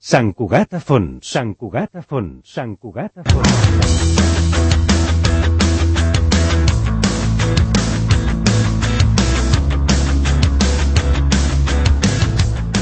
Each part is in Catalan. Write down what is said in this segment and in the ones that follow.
Sant Cugat a fons, Sant Cugat a fons, Sant Cugat a fons.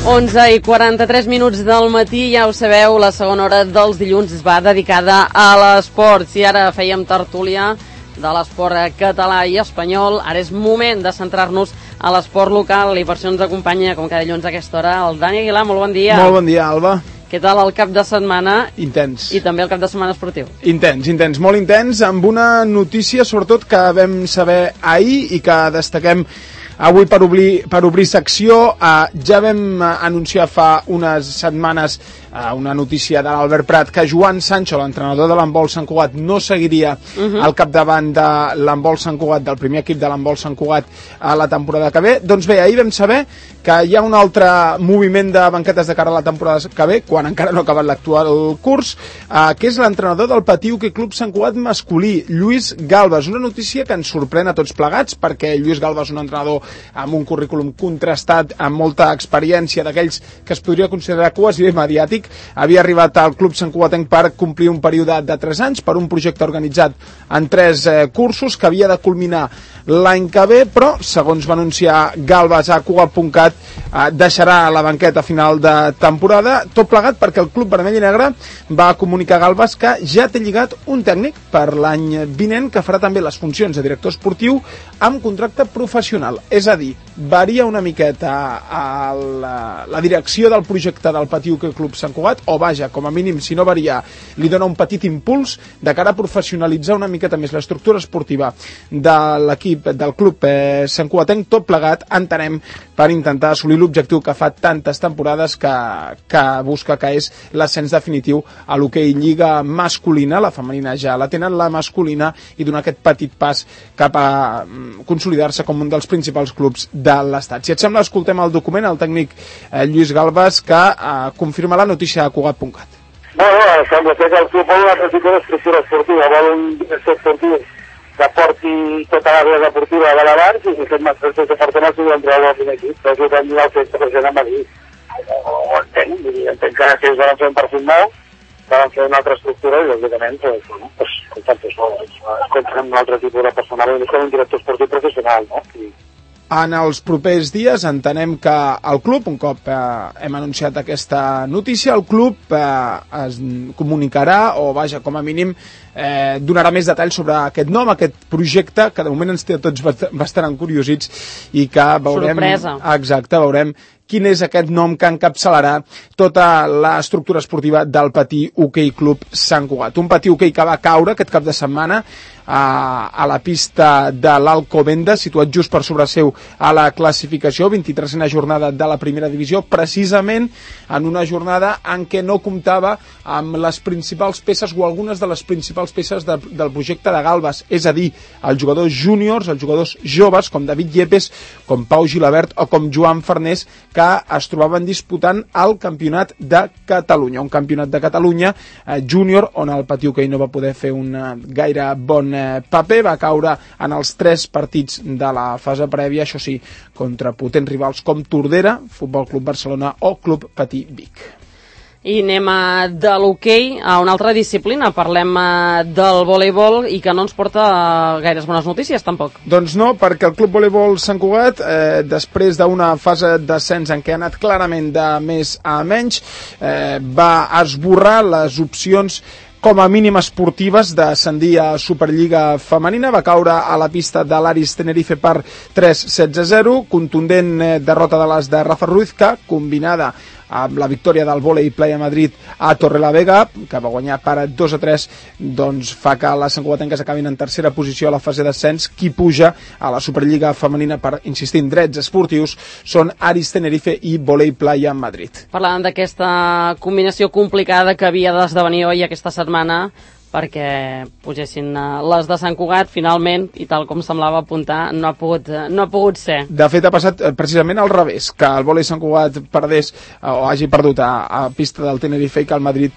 Onze i 43 minuts del matí, ja ho sabeu, la segona hora dels dilluns es va dedicada a l'esport. Si ara fèiem tertúlia de l'esport català i espanyol, ara és moment de centrar-nos a l'esport local i per això ens acompanya, com cada dilluns a aquesta hora, el Dani Aguilar. Molt bon dia. Molt bon dia, Alba. Què tal el cap de setmana? Intens. I també el cap de setmana esportiu. Intens, molt intens, amb una notícia sobretot que vam saber ahir i que destaquem avui per obrir secció. Ja vam anunciar fa unes setmanes una notícia de l'Albert Prat que Joan Sancho, l'entrenador de l'handbol Sant Cugat, no seguiria al capdavant de l'handbol Sant Cugat, del primer equip de l'handbol Sant Cugat a la temporada que ve. Doncs bé, ahir vam saber que hi ha un altre moviment de banquetes de cara a la temporada que ve, quan encara no ha acabat l'actual curs, que és l'entrenador del Patí Hoquei Club Sant Cugat masculí, Lluís Galbas. Una notícia que ens sorprèn a tots plegats, perquè Lluís Galbas és un entrenador amb un currículum contrastat, amb molta experiència, d'aquells que es podria considerar quasi mediàtic. Havia arribat al Club Sant Cugatenc per complir un període de 3 anys per un projecte organitzat en 3 cursos que havia de culminar l'any que ve, però, segons va anunciar Galbas a Cugat.cat, deixarà la banqueta a final de temporada, tot plegat perquè el Club Vermell i Negre va comunicar a Galbas que ja té lligat un tècnic per l'any vinent que farà també les funcions de director esportiu amb contracte professional. És a dir, varia una miqueta la direcció del projecte del Patí Hoquei Club Sant Cugat, o vaja, com a mínim, si no varia, li dona un petit impuls de cara a professionalitzar una miqueta més l'estructura esportiva de l'equip del Club Sant Cugatenc, tot plegat, entenem, per intentar assolir l'objectiu que fa tantes temporades que busca, que és l'ascens definitiu a l'hoquei lliga masculina. La femenina ja la tenen, la masculina, i donar aquest petit pas cap a consolidar-se com un dels principals clubs de l'estat. Si et sembla, escoltem el document, el tècnic Lluís Galbas, que confirma la notícia a Cugat.cat. Bueno, sembla ser que el club vol una altra tipus d'estructura esportiva, vol un director esportiu que porti tota l'àrea deportiva de l'abans i aquest nostre departament s'ho entrar al primer equip, però jo també el fet present a Madrid. Ho entenc que ells van fer un perfil nou, van fer una altra estructura i, lògicament, escoltem un altre tipus de personal, com un director esportiu professional, no? En els propers dies entenem que el club, un cop hem anunciat aquesta notícia, el club es comunicarà, o vaja, com a mínim, donarà més detalls sobre aquest nom, aquest projecte, que de moment ens té tots bastant encuriosits i que veurem... Sorpresa. Exacte, veurem quin és aquest nom que encapçalarà tota l'estructura esportiva del Patí Hoquei Club Sant Cugat. Un Patí Hoquei que va caure aquest cap de setmana a la pista de l'Alcobendas, situat just per sobre seu a la classificació, 23a jornada de la primera divisió, precisament en una jornada en què no comptava amb les principals peces o algunes de les principals peces del projecte de Galbas, és a dir, els jugadors júniors, els jugadors joves, com David Yepes, com Pau Gilabert o com Joan Farnés, que es trobaven disputant el Campionat de Catalunya. Un Campionat de Catalunya júnior on el Patí Hoquei no va poder fer un gaire bon paper, va caure en els 3 partits de la fase prèvia, això sí, contra potents rivals com Tordera, Futbol Club Barcelona o Club Patí Vic. I anem de l'hoquei a una altra disciplina. Parlem del voleibol i que no ens porta gaires bones notícies, tampoc. Doncs no, perquè el Club Voleibol Sant Cugat, després d'una fase d'ascens en què ha anat clarament de més a menys, va esborrar les opcions com a mínim esportives d'ascendir a Superliga femenina. Va caure a la pista de l'Aris Tenerife per 3-16-0, contundent derrota de les de Rafa Ruiz, que combinada amb la victòria del Volei Playa Madrid a Torrelavega, que va guanyar per 2-3, doncs fa que les santcugatenques acabin en tercera posició a la fase d'ascens. Qui puja a la Superliga femenina per, insistir, en drets esportius són Aris Tenerife i Volei Playa Madrid. Parlant d'aquesta combinació complicada que havia d'esdevenir avui aquesta setmana, perquè pugessin les de Sant Cugat, finalment, i tal com semblava apuntar, no ha pogut ser. De fet, ha passat precisament al revés, que el vòlei Sant Cugat perdés o hagi perdut a pista del Tenerife i que el Madrid,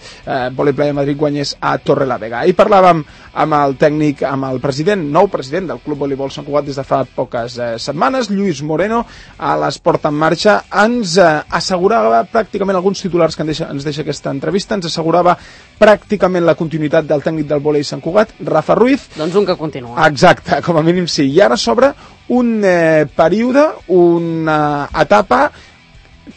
Vòlei Playa Madrid, guanyés a Torrelavega. Ahir parlàvem amb el tècnic, amb el nou president del Club Voleibol Sant Cugat des de fa poques setmanes, Lluís Moreno, a l'Esport en Marxa, ens assegurava pràcticament alguns titulars que ens deixa aquesta entrevista, ens assegurava pràcticament la continuïtat del tècnic del vòlei Sant Cugat, Rafa Ruiz. Doncs un que continua. Exacte, com a mínim sí. I ara s'obre un període, una etapa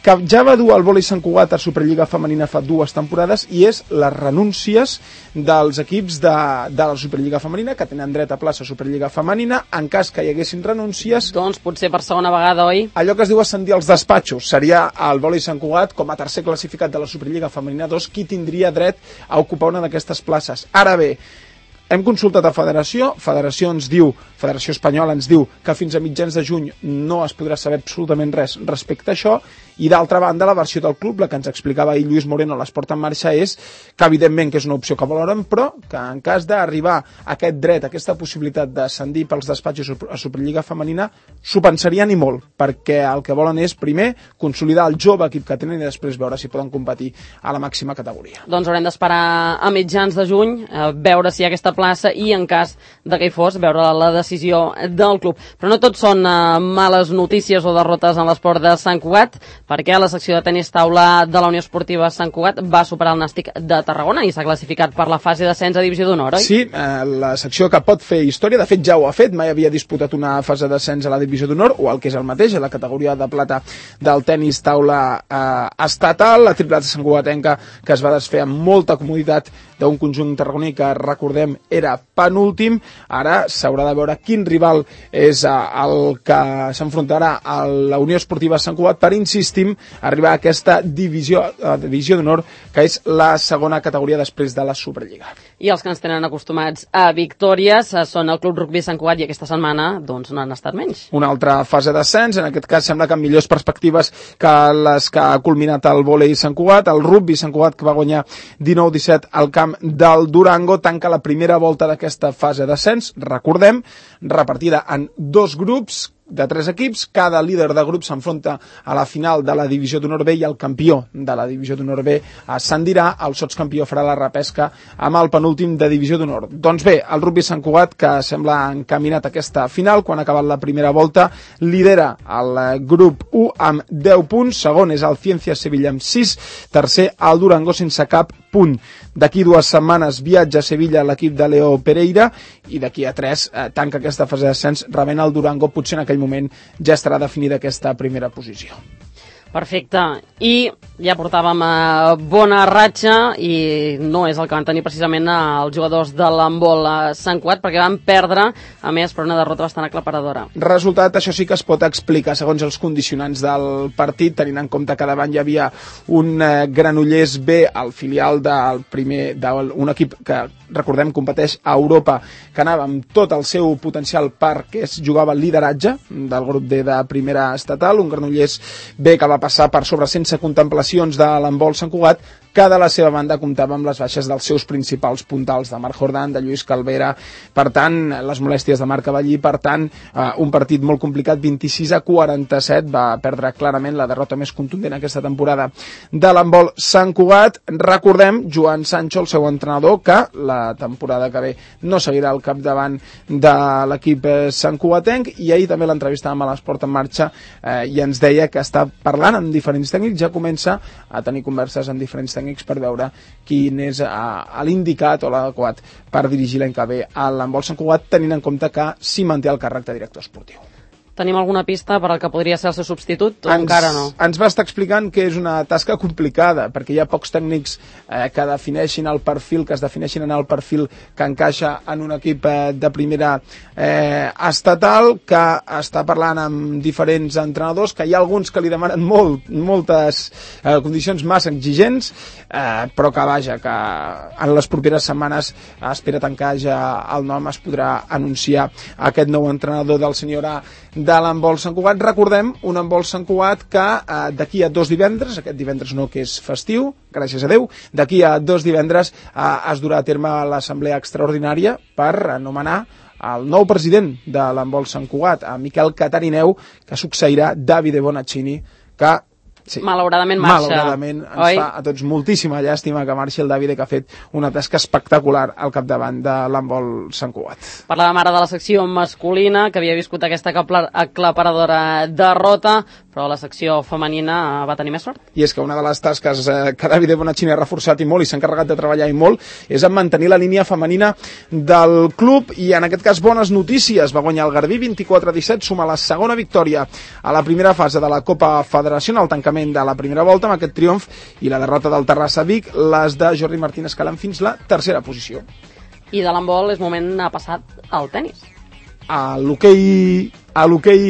que ja va dur el vòlei Sant Cugat a Superliga Femenina fa 2 temporades, i és les renúncies dels equips de la Superliga Femenina, que tenen dret a plaça a Superliga Femenina. En cas que hi haguessin renúncies, doncs potser per segona vegada, oi? Allò que es diu ascendir als despatxos. Seria el vòlei Sant Cugat, com a tercer classificat de la Superliga Femenina 2, qui tindria dret a ocupar una d'aquestes places. Ara bé, hem consultat a Federació ens diu, Federació Espanyola ens diu que fins a mitjans de juny no es podrà saber absolutament res respecte a això, i d'altra banda la versió del club, la que ens explicava ahir Lluís Moreno a l'Esport en Marxa, és que evidentment que és una opció que valoren, però que en cas d'arribar a aquest dret, a aquesta possibilitat d'ascendir pels despatxos a Superliga Femenina, s'ho pensarien i molt, perquè el que volen és primer consolidar el jove equip que tenen i després veure si poden competir a la màxima categoria. Doncs haurem d'esperar a mitjans de juny, veure si hi ha aquesta plaça i en cas de que hi fos, veure la decisió del club. Però no tot són males notícies o derrotes en l'esport de Sant Cugat, perquè la secció de tenis taula de la Unió Esportiva Sant Cugat va superar el Nàstic de Tarragona i s'ha classificat per la fase d'ascens a Divisió d'Honor, oi? Sí, la secció que pot fer història, de fet ja ho ha fet, mai havia disputat una fase d'ascens a la Divisió d'Honor, o el que és el mateix, a la categoria de plata del tenis taula estatal, la tripleta santcugatenca que es va desfer amb molta comoditat d'un conjunt tarragoní que, recordem, era penúltim. Ara s'haurà de veure quin rival és el que s'enfrontarà a la Unió Esportiva Sant Cugat per, insistim, arribar a aquesta divisió d'honor, que és la segona categoria després de la Superliga. I els que ens tenen acostumats a victòries són el Club Rugby Sant Cugat, i aquesta setmana doncs no han estat menys. Una altra fase d'ascens, en aquest cas sembla que amb millors perspectives que les que ha culminat el vòlei Sant Cugat. El Rugby Sant Cugat, que va guanyar 19-17 al camp del Durango, tanca la primera volta d'aquesta fase d'ascens, recordem, repartida en 2 grups de 3 equips. Cada líder de grup s'enfronta a la final de la Divisió d'Honor B i el campió de la Divisió d'Honor B ascendirà. El sotscampió farà la repesca amb el penúltim de Divisió d'Honor. Doncs bé, el Rugby Sant Cugat, que sembla encaminat a aquesta final, quan ha acabat la primera volta, lidera el grup 1 amb 10 punts, segon és el Ciencia Sevilla amb 6, tercer el Durango sense cap punt. D'aquí 2 setmanes viatja a Sevilla l'equip de Leo Pereira, i d'aquí a 3 tanca aquesta fase d'ascens rebent el Durango. Potser en aquell moment ja estarà definida aquesta primera posició. Perfecte. I ja portàvem bona ratxa, i no és el que van tenir precisament els jugadors de l'handbol a Sant Cugat, perquè van perdre, a més, per una derrota bastant aclaparadora. Resultat, això sí que es pot explicar segons els condicionants del partit, tenint en compte que davant hi havia un Granollers B, el filial d'un equip que, recordem, competeix a Europa, que anava amb tot el seu potencial perquè es jugava el lideratge del grup D de primera estatal, un Granollers B que va passar per sobre sense contemplacions de l'handbol Sant Cugat, que de la seva banda comptava amb les baixes dels seus principals puntals, de Marc Jordan, de Lluís Calvera, per tant, les molèsties de Marc Cavallí, per tant, un partit molt complicat, 26-47, va perdre clarament la derrota més contundent aquesta temporada de l'handbol Sant Cugat. Recordem, Joan Sancho, el seu entrenador, que la temporada que ve no seguirà al capdavant de l'equip Sant Cugatenc, i ahir també l'entrevistàvem a l'Esport en Marxa i ens deia que està parlant amb diferents tècnics, ja comença a tenir converses amb diferents tècnics per veure quin és l'indicat o l'adequat per dirigir l'any que ve a l'handbol Sant Cugat, tenint en compte que s'hi manté el càrrec de director esportiu. Tenim alguna pista per al que podria ser el seu substitut o encara no? Ens va estar explicant que és una tasca complicada, perquè hi ha pocs tècnics que defineixin el perfil, que es defineixin en el perfil que encaixa en un equip de primera estatal, que està parlant amb diferents entrenadors, que hi ha alguns que li demanen moltes condicions massa exigents, però que vaja, que en les properes setmanes espera tancar ja el nom, es podrà anunciar aquest nou entrenador del senyor A de l'handbol Sant Cugat. Recordem, un handbol Sant Cugat que d'aquí a 2 divendres, aquest divendres no, que és festiu, gràcies a Déu, d'aquí a 2 divendres es durà a terme l'assemblea extraordinària per anomenar el nou president de l'handbol Sant Cugat, a Miquel Catarineu, que succeirà Davide Bonaccini, que sí, malauradament marxa. Malauradament ens fa a tots moltíssima llàstima que marxi el Davide, que ha fet una tasca espectacular al capdavant de l'handbol Sant Cugat. Parlàvem ara de la secció masculina, que havia viscut aquesta aclaparadora derrota, però la secció femenina va tenir més sort. I és que una de les tasques que Davide Bonaccini ha reforçat i molt i s'ha encarregat de treballar i molt és en mantenir la línia femenina del club, i en aquest cas bones notícies. Va guanyar el Garbí 24-17, suma la segona victòria a la primera fase de la Copa Federació, al tancament de la primera volta, amb aquest triomf i la derrota del Terrassa Vic, les de Jordi Martín escalant fins la tercera posició. I de l'handbol és moment a passar al tennis. A l'hoquei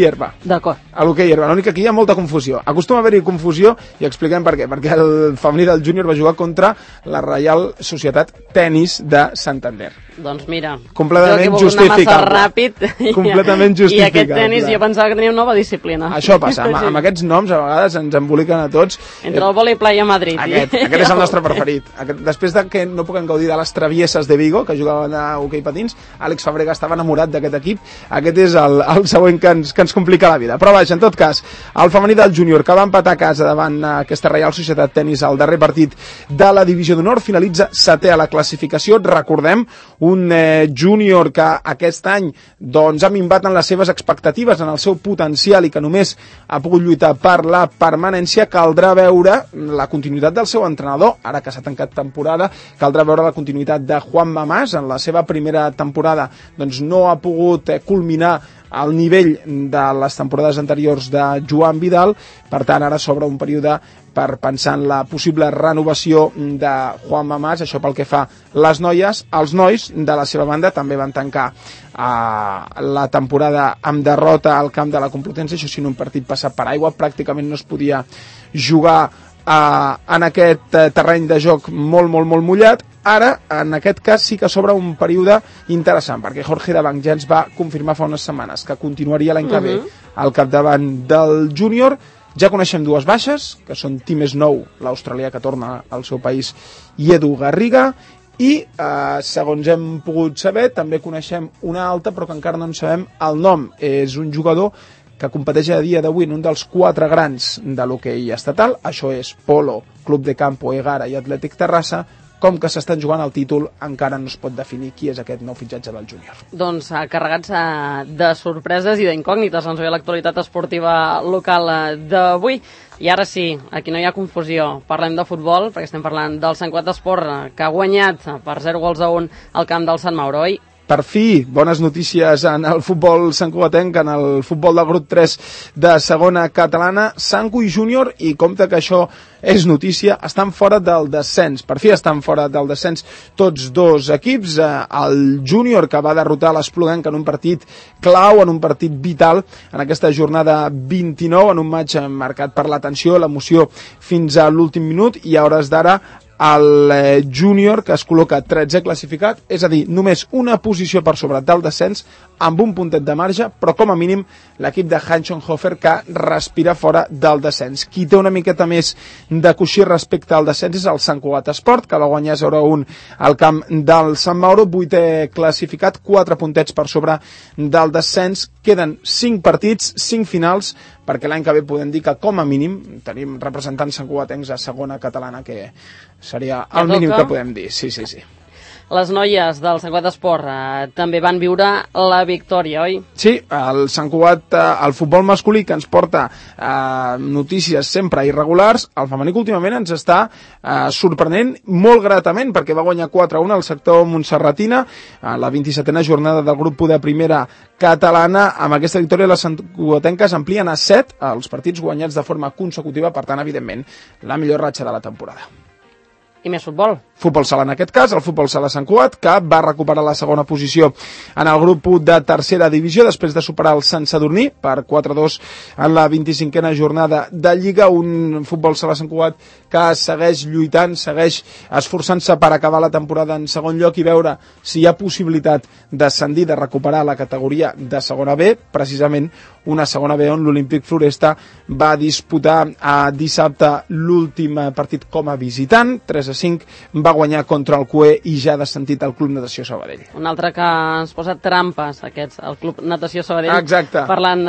herba. D'acord. A l'hoquei herba. L'únic que aquí hi ha molta confusió. Acostuma a haver-hi confusió i expliquem per què. Perquè el femení del júnior va jugar contra la Reial Societat Tenis de Santander. Doncs mira, completament justificable. Ràpid, completament justificable. I aquest tenis jo pensava que tenia una nova disciplina. Això passa, amb aquests noms a vegades ens emboliquen a tots. Entre el vòlei playa a Madrid. Aquest és el nostre preferit. Després de que no puguem gaudir de les travieses de Vigo, que jugaven a hoquei patins, Àlex Fàbrega estava enamorat d'aquest equip. Aquest és el següent que ens complica la vida. Però vaja, en tot cas, el femení del júnior, que va empatar a casa davant aquesta Reial Societat Tenis al darrer partit de la Divisió d'Honor, finalitza 7è a la classificació. Recordem, un júnior que aquest any doncs, ha minvat en les seves expectatives, en el seu potencial, i que només ha pogut lluitar per la permanència. Caldrà veure la continuïtat del seu entrenador, ara que s'ha tancat temporada, caldrà veure la continuïtat de Juan Mamàs. En la seva primera temporada doncs, no ha pogut culminar al nivell de les temporades anteriors de Joan Vidal, per tant ara s'obre un període per pensar en la possible renovació de Juan Mamàs. Això pel que fa les noies. Els nois, de la seva banda, també van tancar la temporada amb derrota al camp de la Complutense, això sí, en un partit passat per aigua, pràcticament no es podia jugar en aquest terreny de joc molt mullat. Ara, en aquest cas, sí que s'obre un període interessant, perquè Jorge Dabang ja ens va confirmar fa unes setmanes que continuaria l'any que ve al capdavant del júnior. Ja coneixem 2 baixes, que són Tim Snow, l'australià que torna al seu país, i Edu Garriga, i segons hem pogut saber, també coneixem una alta, però que encara no en sabem el nom. És un jugador que competeix a dia d'avui en un dels 4 grans de l'hoquei estatal. Això és Polo, Club de Campo, Egara i Atlètic Terrassa. Com que s'estan jugant el títol, encara no es pot definir qui és aquest nou fitxatge del júnior. Doncs carregats de sorpreses i d'incògnites ens ve l'actualitat esportiva local d'avui. I ara sí, aquí no hi ha confusió, parlem de futbol, perquè estem parlant del Sant Cugat Esport, que ha guanyat per 0-1 al camp del Sant Mauro, oi? Per fi, bones notícies en el futbol santcugatenc, en el futbol del grup 3 de segona catalana. Santcu i Júnior, i compte que això és notícia, estan fora del descens. Per fi estan fora del descens tots 2 equips. El Júnior, que va derrotar l'Espluguenc en un partit clau, en un partit vital, en aquesta jornada 29, en un match marcat per la tensió, l'emoció fins a l'últim minut, i a hores d'ara el júnior, que es col·loca 13è classificat, és a dir, només una posició per sobre del descens, amb un puntet de marge, però com a mínim l'equip de Hanschenhofer, que respira fora del descens. Qui té una miqueta més de coixí respecte al descens és el Sant Cugat Esport, que va guanyar 0-1 al camp del Sant Mauro, 8è classificat, 4 puntets per sobre del descens. Queden 5 partits, 5 finals, perquè l'any que ve podem dir que com a mínim tenim representants santcugatencs a segona catalana, que seria el mínim que podem dir. Sí. Les noies del Sant Cugat Esport també van viure la victòria, oi? Sí, el Sant Cugat, el futbol masculí, que ens porta notícies sempre irregulars, el femení que últimament ens està sorprenent molt gratament, perquè va guanyar 4-1 al sector montserratina a la 27a jornada del grup de primera catalana. Amb aquesta victòria les santcugatenques amplien a 7 els partits guanyats de forma consecutiva, per tant, evidentment, la millor ratxa de la temporada. I més futbol. futbol sala en aquest cas, el futbol sala Sant Cugat, que va recuperar la segona posició en el grup 1 de tercera divisió després de superar el Sant Sadurní per 4-2 en la 25a jornada de Lliga, un futbol sala Sant Cugat que segueix lluitant, segueix esforçant-se per acabar la temporada en segon lloc i veure si hi ha possibilitat d'ascendir, de recuperar la categoria de segona B, precisament una segona B on l'Olímpic Floresta va disputar dissabte l'últim partit com a visitant, 3-5, va guanyar contra el CUE i ja ha descentit el Club Natació Sabadell. Un altre que ens posa trampes, el Club Natació Sabadell. Exacte. Parlant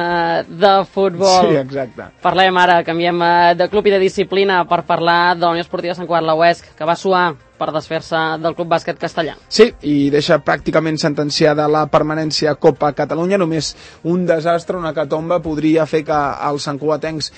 de futbol. Sí, exacte. Parlem ara, canviem de club i de disciplina per parlar de la Unió Esportiva Sant Cugat, la UESC, que va suar per desfer-se del Club Bàsquet Castellà. Sí, i deixa pràcticament sentenciada la permanència a Copa Catalunya. Només un desastre, una hecatombe, podria fer que els santcugatencs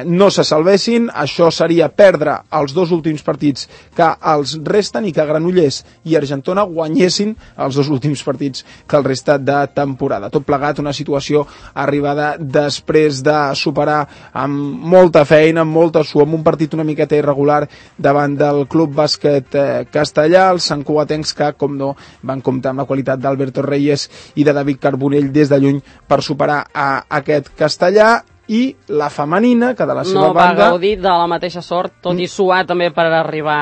no se salvessin. Això seria perdre els 2 últims partits que els resten i que Granollers i Argentona guanyessin els 2 últims partits que el resta de temporada. Tot plegat, una situació arribada després de superar amb molta feina, amb molta suor, amb un partit una miqueta irregular davant del Club Bàsquet Castellà, els santcugatencs que, com no, van comptar amb la qualitat d'Alberto Reyes i de David Carbonell des de lluny per superar a aquest Castellà. I la femenina, que de la seva banda... No va gaudir de la mateixa sort, tot i suar també per arribar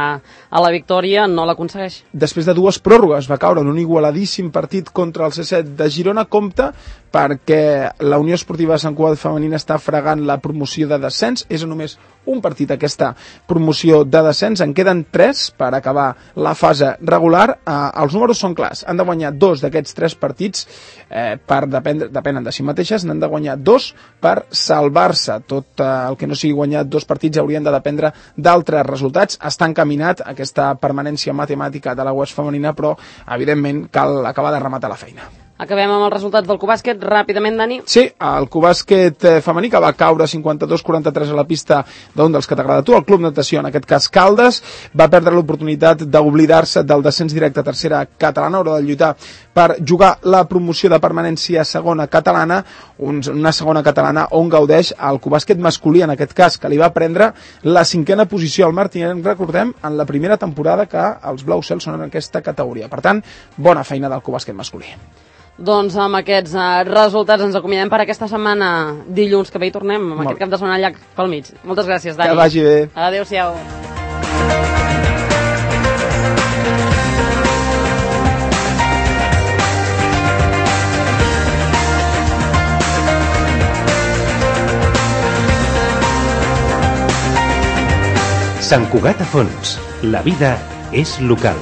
a la victòria, no l'aconsegueix. Després de 2 pròrrogues va caure en un igualadíssim partit contra el C7 de Girona, compta perquè la Unió Esportiva Sant Cugat femenina està fregant la promoció de descens. És només un partit aquesta promoció de descens, en queden 3 per acabar la fase regular. Els números són clars, han de guanyar 2 d'aquests 3 partits, depenen de si mateixes, n'han de guanyar 2 per salvar-se. Tot el que no sigui guanyar 2 partits haurien de dependre d'altres resultats. Està encaminat aquesta permanència matemàtica de la UESC femenina, però evidentment cal acabar de rematar la feina. Acabem amb els resultats del Cubàsquet, ràpidament, Dani. Sí, el Cubàsquet femení, que va caure 52-43 a la pista d'un dels que t'agrada a tu, el Club Natació, en aquest cas Caldes, va perdre l'oportunitat d'oblidar-se del descens directe a tercera catalana, haurà de lluitar per jugar la promoció de permanència a segona catalana, una segona catalana on gaudeix el Cubàsquet masculí, en aquest cas, que li va prendre la 5a posició al Martinet, recordem, en la primera temporada que els Blau Cel són en aquesta categoria. Per tant, bona feina del Cubàsquet masculí. Doncs amb aquests resultats ens acomiadem per aquesta setmana. Dilluns que ve hi tornem, amb aquest cap de setmana llarg pel mig. Moltes gràcies, Dani. Que vagi bé. Adéu-siau. Sant Cugat a fons. La vida és local.